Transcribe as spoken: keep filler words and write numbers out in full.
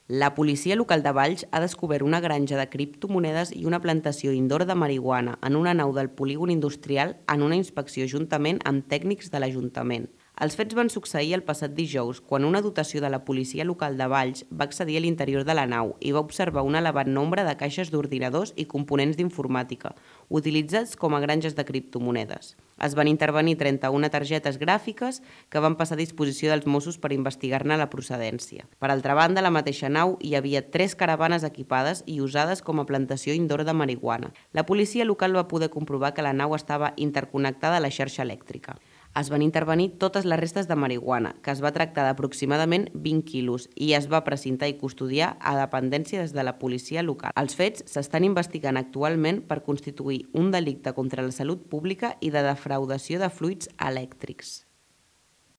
La policia local de Valls ha descobert una granja de criptomonedes i una plantació indoor de marihuana en una nau del polígon industrial en una inspecció juntament amb tècnics de l'Ajuntament. Els fets van succeir el passat dijous, quan una dotació de la policia local de Valls va accedir a l'interior de la nau i va observar un elevat nombre de caixes d'ordinadors i components d'informàtica, utilitzats com a granges de criptomonedes. Es van intervenir trenta-una targetes gràfiques que van passar a disposició dels Mossos per investigar-ne la procedència. Per altra banda, a la mateixa nau hi havia tres caravanes equipades i usades com a plantació indoor de marihuana. La policia local va poder comprovar que la nau estava interconnectada a la xarxa elèctrica. Es van intervenir totes les restes de marihuana, que es va tractar d'aproximadament vint quilos, i es va precintar i custodiar a dependència des de la policia local. Els fets s'estan investigant actualment per constituir un delicte contra la salut pública i de defraudació de fluids elèctrics.